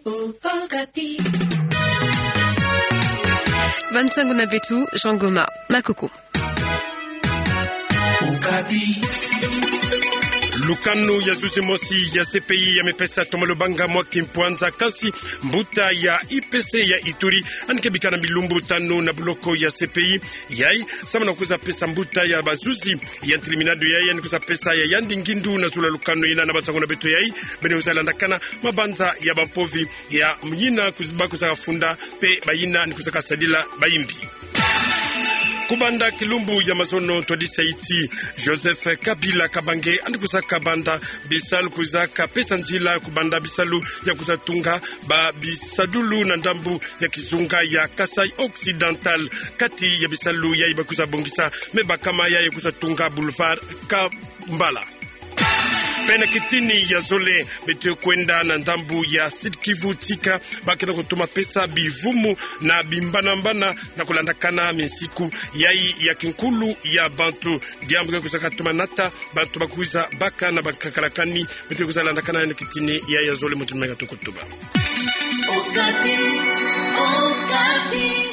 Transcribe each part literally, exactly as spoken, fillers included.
Okapi. Bansangu na beto, Jean Goma Makoko. Okapi. Lukanu ya zuzi mosi ya C P I ya mepesa Thomas Lubanga mwa kimpwanza, kansi mbuta ya I P C ya Ituri anikebika na bilumbu tanu na buloko ya C P I. Yayi samu na kwiza pesa mbuta ya bazuzi ya ntiliminado yayi, ani kwiza pesa ya yandi ngindu na zulu ya lukanu ina. Na bansangu na beto yayi, beno kwiza landakana mabanza ya bampovi ya mina kwiz-, ba kwiza kafunda, mpe bayina ni kwiza kasadila bayimbi. Kubanda kilumbu ya mazono, twadisa ti Joseph Kabila Kabange ani kwiza kabanda bisalu, kwiza kapesa nzila kubanda bisalu ya kwiza tunga ba bisadulu na ndambu ya kizunga ya Kasaï Occidental, kati ya bisalu yayi ba kwiza bongisa me bakama yayi kwiza tunga boulevard Kambala. Mpe na kitini ya zole, beto kwenda na ndambu ya Sud-Kivu, tika ba kena kutoma pesa bivumu na bimbanambana na kulandakana minsiku yayi ya kinkulu ya bantu. Diambu ke kwiza katoma nata bantu ba kwiza baka na bankakalakani. Beto kwiza landakana na kitini ya, ya zole, muntu meka tukutuba. Okapi, Okapi.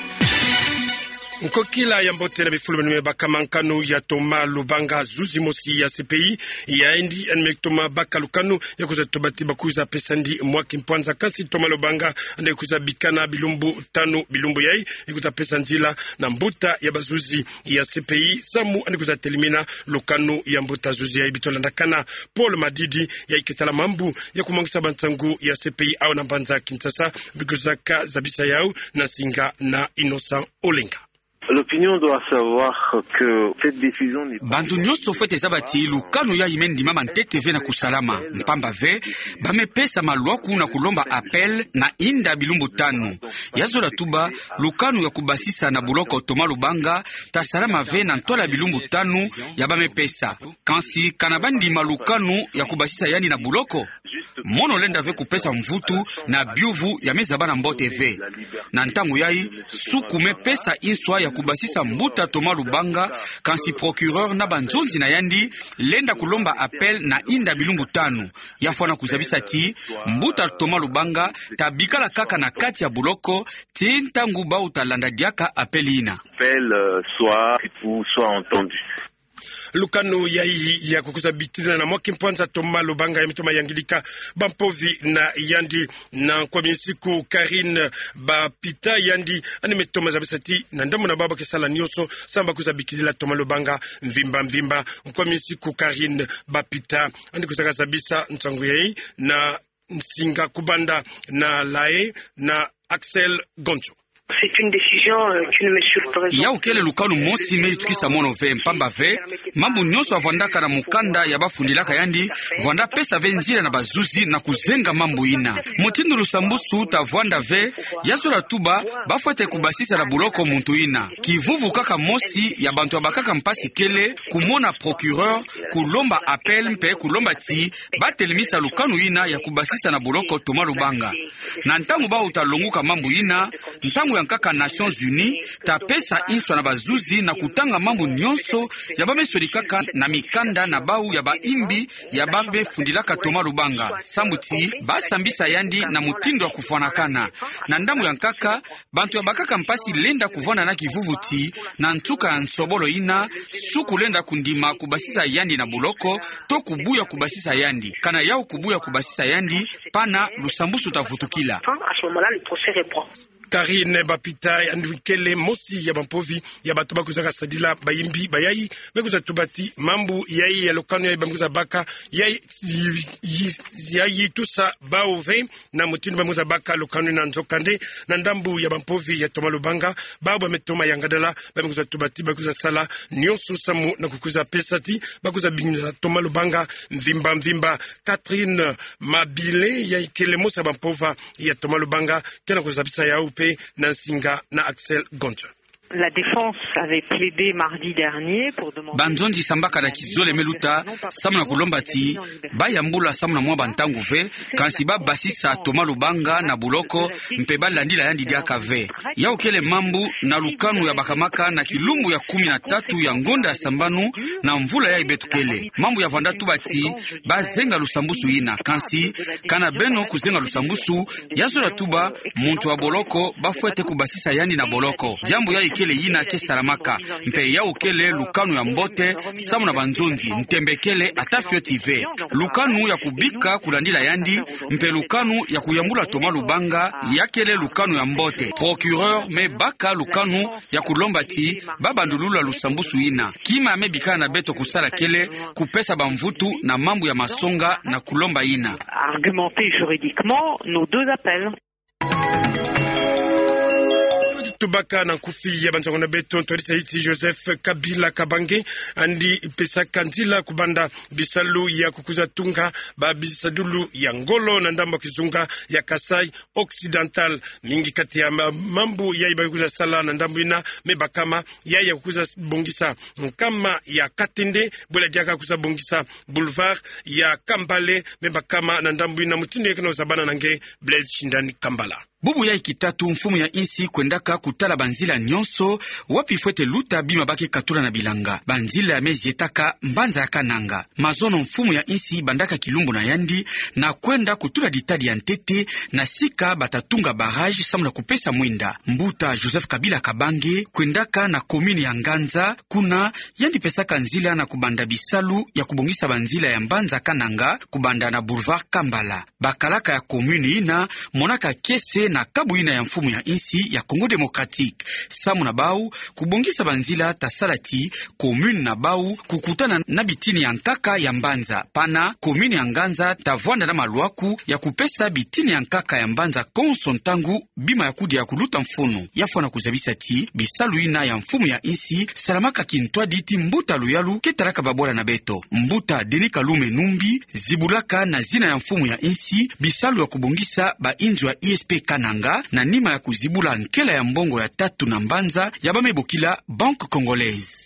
Nkokila ya mbote na bifulu beno me baka. Mankanu ya Thomas Lubanga, zuzi mosi ya C P I, yandi ani me toma baka lukanu ya kwiza tuba ti ba kwiza pesa ndi mwa kimpwanza, kansi Thomas Lubanga ani kwiza bika na bilumbu tanu. Bilumbu yayi ikwiza pesa nzila na mbuta ya bazuzi ya C P I samu ani kwiza telimina lukanu ya mbuta zuzi yayi. Beto landakana Paul Madidi, yayi ke tala mambu ya kumwangisa bansangu ya C P I awu na mbanza Kinshasa, bi kwiza kazabisa yawu na nsinga na Innocent Olenga. L'opinion doit savoir que cette décision n'est pas... Bantu nyonso fwete zaba ti lukanu yayi me ndimama ntete ve na kusalama. Mpamba ve, ba me pesa malwaku na kulomba appel na inda bilumbu tanu. Ya zola tuba, lukanu ya kubasisa na buloko Thomas Lubanga ta salama ve na ntwala bilumbu tanu ya ba me pesa. Kansi kana ba ndima lukanu ya kubasisa yandi na buloko, mono lenda ve kupesa mvutu na biuvu ya me zaba na mbote ve. Na ntangu yayi, suku me pesa inswa ya kubasisa mbuta Thomas Lubanga, kansi procureur na banzonzi na yandi lenda kulomba appel na inda bilumbu tanu. Ya fwana kuzabisa ti mbuta Thomas Lubanga ta bikala kaka na kati ya buloko tii ntangu bawu ta landa diaka appel ina. Appel, euh, soit, ou soit entendu. Lukanu yayi ya kukwiza bikila na mwa kimpwanza Thomas Lubanga ya me toma yangidika bampovi na yandi. Na nkwa minsiku, Karine Bapita, yandi ani me toma zabisa ti na ndambu na bawu ba ke sala nyonso samu ba kwiza bikilila Thomas Lubanga mvimba mvimba. Nkwa minsiku, Karine Bapita ani kwiza kazabisa nsangu yayi na nsinga kubanda na La Haye na Axel Goncho. C'est une décision, euh, qui ne me surprend... Yawu kele lukanu mosi me yitukisa mono ve, mpamba ve mambu nyonso ya vwandaka na mukanda ya ba fundilaka yandi vwanda pesa ve nzila na bazuzi na kuzenga mambu ina. Mutindu lusambusu ta vwanda ve, ya zola tuba ba fwete kubasisa na buloko muntu ina. Kivuvu kaka mosi ya bantu ya bakaka mpasi kele kumona procureur kulomba appel mpe kulomba ti ba telemisa lukanu ina ya kubasisa na buloko Thomas Lubanga. Na ntangu bawu ta longuka mambu ina, ntangu ya nkaka Nations Unies ta pesa inswa na bazuzi na kutanga mambu nyonso ya ba me sodikaka na mikanda na bawu ya bayimbi ya ba me fundilaka Thomas Lubanga, samu ti ba sambisa yandi na mutindu ya kufwanakana. Na ndambu ya nkaka, bantu ya bakaka mpasi lenda kuvwanda na kivuvu ti na nsuka ya nsobolo ina, suku lenda kundima kubasisa yandi na buloko, to kubuya kubasisa yandi. Kana yawu kubuya kubasisa yandi, pana lusambusu ta vutukila. À ce moment-là, le procès reprend. Karine Bapita, yandi kele mosi ya bampovi ya bantu ba kwiza kasadila bayimbi bayayi, me kwiza tuba ti mambu yayi ya lukanu yayi ba me kwiza baka, yayi, yi, yi, yayi tusa bawu ve na mutindu ba me kwiza baka lukanu ina. Nzokande, na ndambu ya bampovi ya Thomas Lubanga, bawu ba me toma yangadala, ba me kwiza tuba ti ba kwiza sala nyonso samu na kukwiza pesa ti ba kwiza bingisa Thomas Lubanga mvimba mvimba. Catherine Mabile, yayi kele mosi ya bampova ya Thomas Lubanga, ke na kuzabisa yawu mpe na nsinga na Axel Goncho. La défense avait plaidé mardi dernier pour demander... Banzonzi sambaka na kizole me luta, samu na kulomba ti bayambula samu na mwa bantangu ve, kansi babasisa Thomas Lubanga na boloko, mpe balandila yandi diaka ve. Yawu kele mambu na lukanu yabakamaka na kilumbu ya kumi na tatu ya ngonda ya sambanu na mvula yayi beto kele. Mambu ya vanda tuba ti bazenga lusambusu yina, kansi kana beno kuzenga lusambusu, ya zola tuba muntu wa boloko bafwete kubasisa yandi na boloko. Diambu yayi kele yina ke salamaka, mpe yawu kele lukanu ya mbote samu na banzonzi, ntembe kele ata fioti ve. Lukanu ya kubika kulandila yandi, mpe lukanu ya kuyambula Thomas Lubanga, ya kele lukanu ya mbote. Procureur me baka lukanu ya kulomba ti babandulula lusambusu yina. Kima me bikana na beto kusala kele kupesa bamvutu na mambu ya masonga na kulomba yina. Argumenter juridiquement nos deux appels. Tubaka na nkufi ya bansango na beto. Ntwadisi ya insi Joseph Kabila Kabange andi pesaka nzila kubanda bisalu ya kukuza tunga babisadulu ya ngolo na ndambu ya kizunga ya Kasaï Occidental. Mingi kati ya ma-, mambu yayi bakuza sala na ndambu yina me bakama yayi ya kukuza bongisa nkama ya katende, bwela diaka kuza bongisa boulevard ya Kambala, me bakama na ndambu yina. Mutindu yayi ke na ozabana na nge, Blaise Shindani Kambala. Bubu yayi kitatu mfumu ya insi kwendaka kutala banzila nyonso wapi fwete luta bima ba ke katula na bilanga. Banzila ya me zietaka mbanza ya Kananga. Mazono mfumu ya insi bandaka kilumbu na yandi na kwenda kutula ditadi ya ntete na sika bata tunga barrage samu na kupesa mwinda. Mbuta Joseph Kabila Kabange kwendaka na commune ya Nganza, kuna yandi pesaka nzila na kubanda bisalu ya kubongisa banzila ya mbanza Kananga kubanda na boulevard Kambala. Bakalaka ya commune yina monaka kiese na kabu yina ya mfumu ya insi ya Congo Démocratique. Samu na bawu, kubongisa banzila ta sala ti commune na bawu kukutana na bitini ya nkaka ya mbanza. Pana commune ya Nganza ta vwanda na malwaku ya kupesa bitini ya nkaka ya mbanza konso ntangu bima ya kudia kuluta mfunu. Ya fwana kuzabisa ti bisalu yina ya mfumu ya insi salamaka kintwadi ti mbuta luyalu ke talaka babwala na beto. Mbuta Denis Kalume Numbi zibulaka na zina ya mfumu ya insi bisalu ya kubongisa ba inzo ya I S P Kananga, na nima ya kuzibula nkela ya mbongo ya tatu na mbanza ya ba me bokila Banque Congolaise.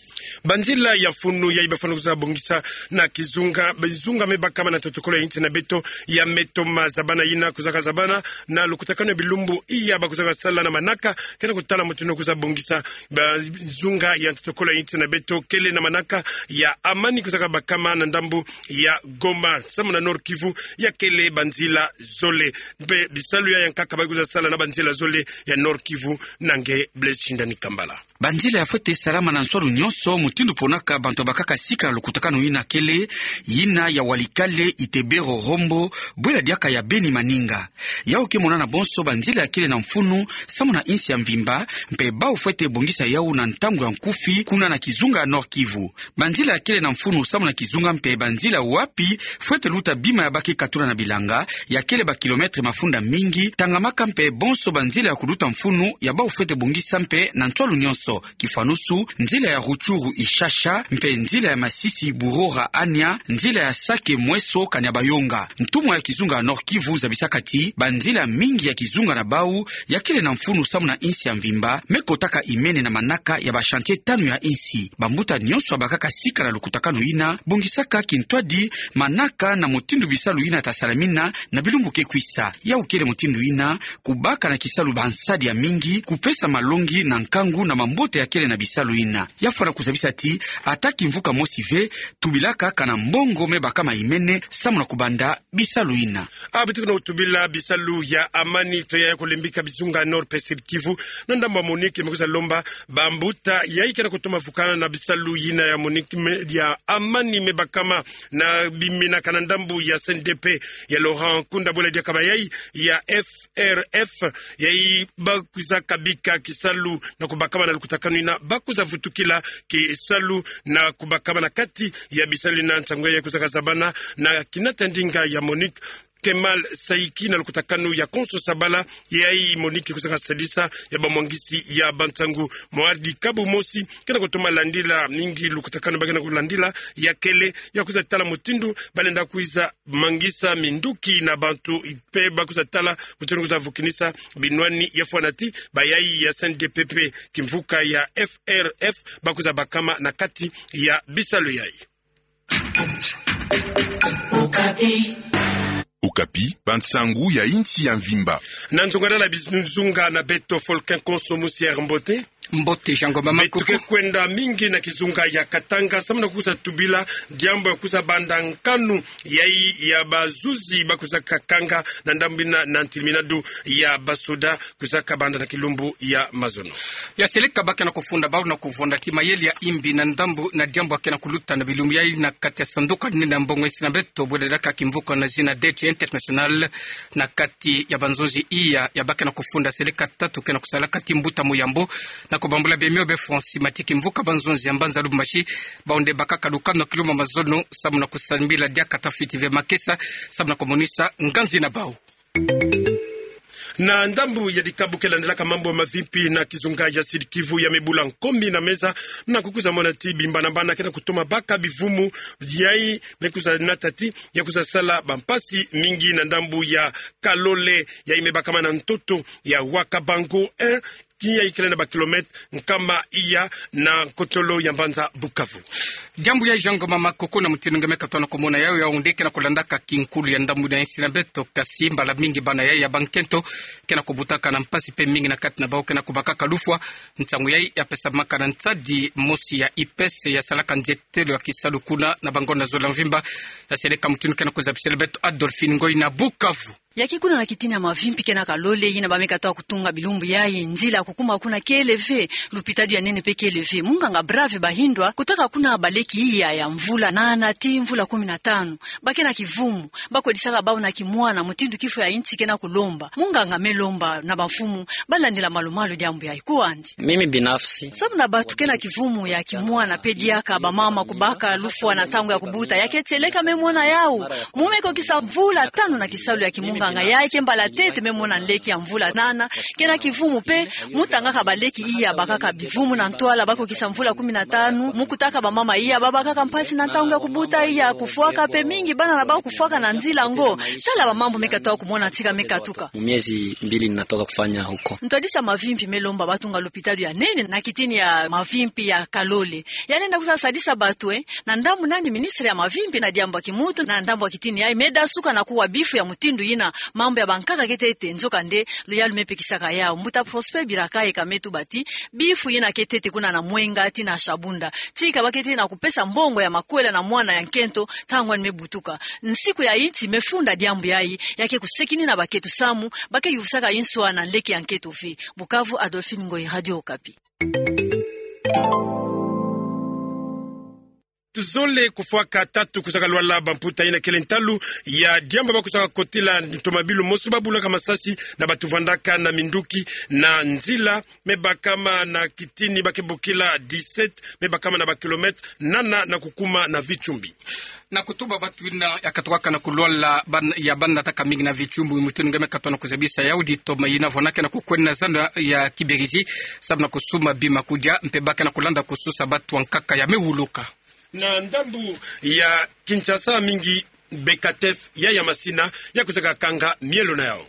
Banzila ya mfunu yayi bafwana kuza bongisa na kizunga, bizunga me bakama na ntotokolo ya insi na beto ya Metoma, zabana yina kuzaka zabana na lukutakanu ya bilumbu iya bakuzaka sala na manaka ke na kutala mutindu kuza bongisa bizunga ya ntotokolo ya insi na beto, kele na manaka ya Amani kuzaka bakama na ndambu ya Goma, samu na Nord-Kivu, ya kele banzila zole. Mpe bisalu ya yankaka bayi kuza sala na banzila zole ya Nord-Kivu na nge, Blaise Shindani Kambala. Banzila ya fwete salama na nswalu nyonso, mutindu ponaka bantu babakaka sika na lukutakanu yina, kele yina ya Walikale, Itebero, Rombo, bwela diaka ya Beni, Maninga. Yawu ke monana bonso banzila ya kele na mfunu samu na insi ya mvimba, mpe bawu fwete bongisa yawu na ntangu ya nkufi kuna na kizunga ya Nord-Kivu. Banzila ya kele na mfunu samu na kizunga mpe banzila wapi fwete luta bima ya ba ke katula na bilanga, ya kele ba kilomètre mafunda mingi, tangamaka mpe bonso banzila ya kuluta mfunu ya bawu fwete bongisa mpe na nswalu nyonso. Kifwanusu, nzila ya Rutshuru Ishasha, mpe nzila ya Masisi Burora Ania, nzila ya Sake Mweso Kanyabayonga. Ntumwa ya kizunga ya Nord-Kivu zabisaka ti banzila mingi ya kizunga na bawu ya kele na mfunu samu na insi ya mvimba, me kotaka imene na manaka ya ba chantier tanu ya insi. Bambuta nyonso babakaka sika na lukutakanu yina bongisaka kintwadi manaka na mutindu bisalu yina ta salamina na bilumbu ke kwisa. Yawu kele mutindu yina kubaka na kisalu bansadi ya mingi, kupesa malongi na nkangu na mambote ya kele na bisalu yina. Ya fwana kuzabisa ti ata kimvuka mosi ve, tubilaka kana mbongo me bakama imene samu na kubanda bisalu yina. A, beto ke na otubila bisalu ya Amani, toya ya kulembika bizunga Nord mpe Sud-Kivu, na ndambu ya MONUC me kuza lomba bambuta yayi ke na kutoma vukana na bisalu yina ya MONUC me, ya Amani me bakama na bimina kana ndambu ya C N D P ya Laurent Nkunda, bwela diaka bayayi ya F R F, yayi bakwiza kabika kisalu na kubakama na lukutakanu yina, bakwiza vutukila kisalu na kubakama na kati ya bisalu yina. Nsangu yayi kwizaka zabana na kinata ndinga ya MONUC, Kemal Saiki na lukutakanu ya Konso Sabala, yayi MONUC kusaka sadisa ya bamwangisi ya bansangu. Mwa dikabu mosi, kena kutoma landila mingi lukutakanu bakena kulandila, ya kele, ya kwiza tala mutindu balenda kwiza mangisa minduki na bantu, mpe ba kwiza tala mutindu kwiza vukinisa binwani ya fwanati bayayi ya C N D P P, kimvuka ya F R F, ba kwiza bakama na kati ya bisalu yayi. Okapi, bansangu ya insi ya mvimba. Na nzungadala bizunga na beto, Folkin Konso, musier mbote. Mbote, Jean Ngoma Makoko. Beto ke kwenda mingi na kizunga ya Katanga, samu na kwiza tubila diambu ya kwiza banda nkanu yayi ya bazuzi ba kwizaka kanga na ndambu ina na ntilminadu ya basoda kwizaka banda na kilumbu ya mazono. Ya seleka bakena kufunda bau na kuvonda kimayele ya imbi na ndambu na diambu akena kuluta na bilumbu yayi na kati ya sanduka nina mbongo insi na beto, bwededaka kimvuka na zina dette internationale, na kati ya banzonzi iya ya bakena kufunda seleka tatu kena kusala kati mbuta muyambo, na kubambula bemio be Francis Matiki, mvuka banzonzi ya mbanza Lubumbashi, bau nde bakaka lukano kilumbu ya mazono, samu na kusambila diaka tafiti ve makesa, samu na kumonisa nganzi na bau. Na ndambu ya dikabu ke landilaka mambu ya mavimpi na kizunga ya Sud-Kivu, ya me bula nkombi na meza, na kukwiza mona ti bimbanabana kena kutoma baka bivumu, yayi me kwiza nata ti ya kwiza sala bampasi mingi na ndambu ya Kalole, yayi me bakama na ntoto ya Wakabango un, yayi kele na bakilomètre nkama iya na nkotolo ya mbanza Bukavu. Diambu yayi, Jean Ngoma Makoko, na mutindu nge me katoa na kumona yawu, yawu nde kena kulandaka kinkulu ya ndambu na insi na beto, kasi mbala mingi bana yayi ya bankento kena kubutaka na mpasi mpe mingi na kati na bau kena kubakaka lufwa. Nsangu yayi ya pesamaka na nsadi mosi ya I P S ya salaka nzietelo ya kisalu kuna na bangonda zola mvimba. Ya seleka mutindu kena kuzabisela beto Adolphine Ngoyi na Bukavu. Ya ke kuna na kitini ya mavimpi kena Kalole, yina ba me katoa kutunga bilumbu yayi, nzila ya kukuma kuna kele ve, lupitalu ya nene mpe kele ve. Munganga Brave Bahindwa kutaka kuna baleki iya ya mvula nana tii mvula kumi na tanu, ba kena kivumu, ba kwedisaka bau na kimwana, mutindu kifo ya insi kena kulomba. Munganga me lomba na bamfumu ba landila malumalu diambu yayi. Kwandi. Mimi binafsi. Samu na bantu kena kivumu ya kimwana mpe diaka bamama kubaka lufwa na ntangu ya kubuta, ya ke seleka me mona yawu. Mu me kokisa mvula tanu na kisalu ya kimunganga, yayi ke mbala ntete me mona nleki ya mvula nana kena kivumu mpe mu tangaka baleki iya bakaka bivumu na ntwala ba kokisa mvula kumi na tanu, mu kutaka bamama iya ba bakaka mpasi na ntangu ya kubuta, iya kufwaka mpe mingi bana na bau kufwaka na nzila ngo. Tala bamambu me katoa kumona tika me katuka. Mu miezi mbili ninatoka kufanya huko. Ntwadisi ya mavimpi me lomba ba tunga lupitalu ya nene na kitini ya mavimpi ya Kalole. Ya lenda kwiza sadisa bantu, eh, na ndambu nani ministre ya mavimpi na diambu ya kimuntu, na ndambu ya kitini yayi, me dasuka na kuwa bifu ya mutindu yina, mambu ya bankaka ke ntete, nzokande luyalu me pekisaka yawu. Mbuta Prosper Birakaye ka me tuba ti bifu yina ke ntete kuna na Mwenga tii na Shabunda. Tika ba ke ntete na kupesa mbongo ya makwela na mwana ya nkento ntangu ani me butuka. Nsiku ya insi me funda diambu yayi, ya ke kusekinina bakento samu ba ke yuvusaka inswa na nleki ya nkento ve. Bukavu, Adolphine Ngoyi, Radio Okapi. Tuzole kufwaka tatu kuzaka lwala bamputa yina kele ntalu ya diambu ba kuzaka kotila ntomabilu mosi ba bulaka masasi na bantu vandaka na minduki na nzila me bakama na kitini ba ke bokila dix-sept, me bakama na bakilomètre nana na kukuma na Vichumbi. Na kutuba bantu yina ya katukaka na kulwala ban-, ya banataka mingi na Vichumbi, mutindu nge me katoa na kuzabisa yawu, ditoma yina vwanakena kukwenda na zando ya Kibirizi, samu na kusumba bima kudia, mpe ba kena kulanda kususa bantu ankaka ya me wuluka. Na ndambu ya Kinshasa mingi, Becatef, ya ya masina, ya kuzaka kanga mielo na yawu.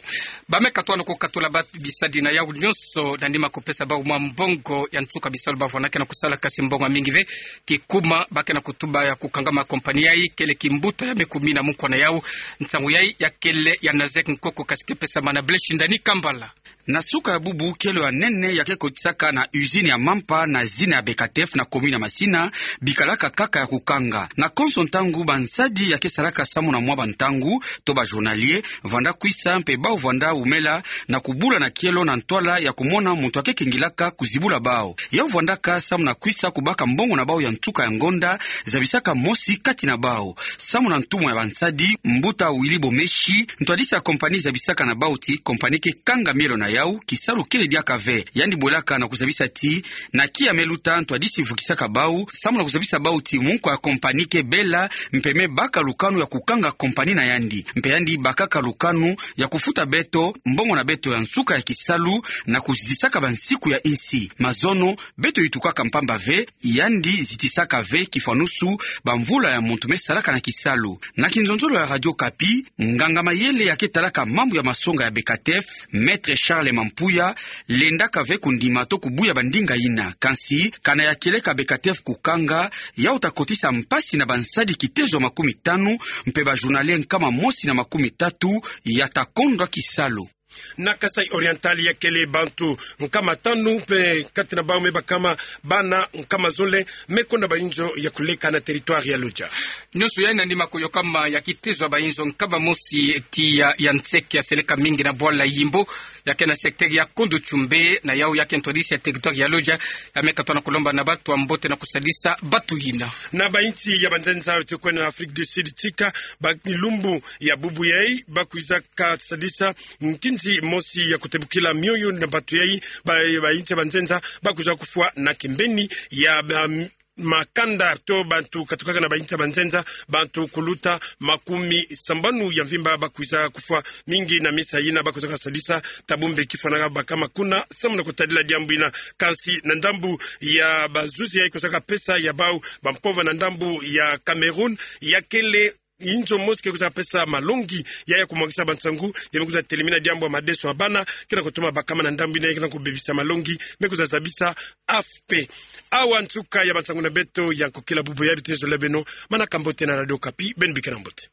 Ba me katoa na kukatula ba bisadi na yawu nyonso, na nima kupesa bau mwa mbongo ya nsuka bisalu ba vwanakena kusala, kasi mbongo mingi ve. Kikuma ba kena kutuba ya kukanga ma compagnie yayi, kele kimbuta ya me kumina mukwa na yawu. Nsangu yayi ya kele ya Nazek Nkoko, kasi ke pesama na Blaise Shindani Kambala. Na suka ya bubu, kelo ya nene ya ke kotisaka na usine ya mampa na zina ya Becatef na commune ya Masina, bikalaka kaka ya kukanga. Na konso ntangu, bansadi ya ke salaka samu na mwa bantangu, to ba journalier, vanda kwisa mpe bau vanda wumela na kubula na kielo na ntwala ya kumona muntu ya ke kengilaka kuzibula bau. Yau vandaka samu na kwisa kubaka mbongo na bau ya nsuka ya ngonda, zabisaka mosi kati na bau. Samu na ntumwa ya bansadi, mbuta Willy Bomeshi, ntwadisi ya compagnie, zabisaka na bau ti compagnie ke kanga mielo na yau kisalu kele diaka ve. Yandi bwelaka na kuzabisa ti, na kiya me luta ntwadisi vukisaka bau, samu na kuzabisa bau ti munkwa ya compagnie ke bela, mpe me baka lukanu ya kukanga compagnie na yandi. Mpe yandi bakaka lukanu ya kufuta beto mbongo na beto ya nsuka ya kisalu, na kuzitisaka bansiku ya insi. Mazono, beto yitukaka mpamba ve, yandi zitisaka ve kifwanusu bamvula ya muntu me salaka na kisalu. Na kinzonzolo ya Radio Okapi, nganga mayele ya ke talaka mambu ya masonga ya BECATEF, Maître Charles Mampuya, lendaka ve kundima to kubuya bandinga yina. Kansi, kana ya kieleka BECATEF kukanga, yau ta kotisa mpasi na bansadi kitezo ya makumitanu, mpe bajournalier nkama mosi na makumitatu ya ta kondwa kisalu. Na Kasaï Oriental ya kele bantu nkama tanu, mpe kati na bau me bakama bana nkama zole me konda bainzo ya kuleka na territoire ya Lodja. Nyonso yai na nima kuyokama ya kitezo ya bainzo nkama mosi tiya ya nseke ya seleka mingi na bwala Yimbo, ya ke na secteur ya Kondo Tchoumbe, na yau ya ke ntwadisi ya territoire ya Lodja, ya me katwa na kulomba na batu ya mbote na kusadisa batu yina. Na bainsi ya banzenza yote kwenda na Afrique du Sud tika, ba lumbu ya bubu yai, ba kwiza kasadisa nkinzi mosi ya kutebukila mioyo na batu yai, ba, bainsi ya banzenza, ba kwiza kufwa na kimbeni ya, ba, makanda to bantu katukaka na bainsi ya banzenza, bantu kuluta makumi sambanu ya mvimba ba kwiza kufwa, mingi na misa yina ba kwiza kasadisa tabumbe kifwa na bakama kuna, samu na kutadila diambu yina. Kansi na ndambu ya bazuzi yai kwiza kapesa ya bau bampova na ndambu ya Cameroun, ya kele inzo mosi ke kwiza pesa malongi ya, ya kumwangisa bansangu, ya me kwiza telemina diambu ya madeso ya bana, ke na kutuma bakama na ndambu yina, ke na kubebisa malongi, me kwiza zabisa A F P. Awa nsuka ya bansangu na beto ya nkokila bubu ya bitezo la beno, manaka mbote na Radio Okapi, beno bikena mbote.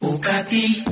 Okapi.